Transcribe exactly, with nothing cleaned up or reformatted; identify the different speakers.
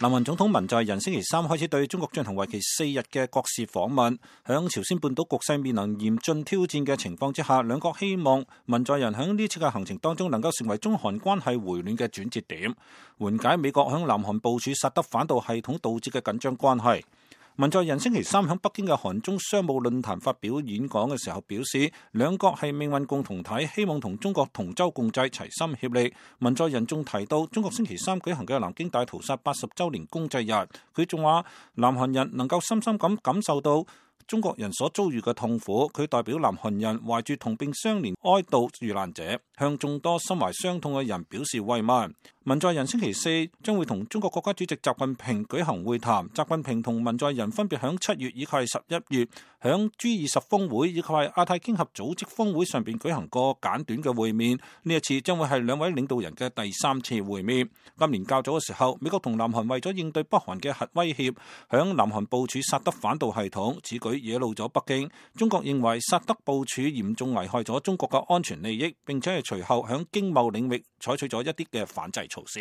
Speaker 1: 南韓總統文在寅星期三開始對中國進行為期四日嘅國事訪問。響朝鮮半島局勢面臨嚴峻挑戰嘅情況之下，兩國希望文在寅響呢次嘅行程當中能夠成為中韓關係回暖嘅轉折點，緩解美國響南韓部署薩德反導系統導致嘅緊張關係。文在寅星期三喺北京嘅韓中商務論壇發表演講嘅時候表示，兩國係命運共同體，希望同中國同舟共濟，齊心協力。文在寅仲提到中國星期三舉行嘅南京大屠殺八十週年公祭日，佢仲話南韓人能夠深深咁感受到中國人所遭遇嘅痛苦，佢代表南韓人懷住同病相憐哀悼遇難者，向眾多心懷傷痛嘅人表示慰問。文在寅星期四將會同中國國家主席習近平舉行會談，習近平同文在寅分別響七月以及十一月響 G 二十峰會以及係亞太經合組織峰會上邊舉行過簡短嘅會面，呢一次將會係兩位領導人嘅第三次會面。今年較早嘅時候，美國同南韓為咗應對北韓嘅核威脅，響南韓部署薩德反導系統，此舉惹怒咗北京。中國認為薩德部署嚴重危害咗中國嘅安全利益，並且係隨後響經貿領域採取咗一啲嘅反制措施。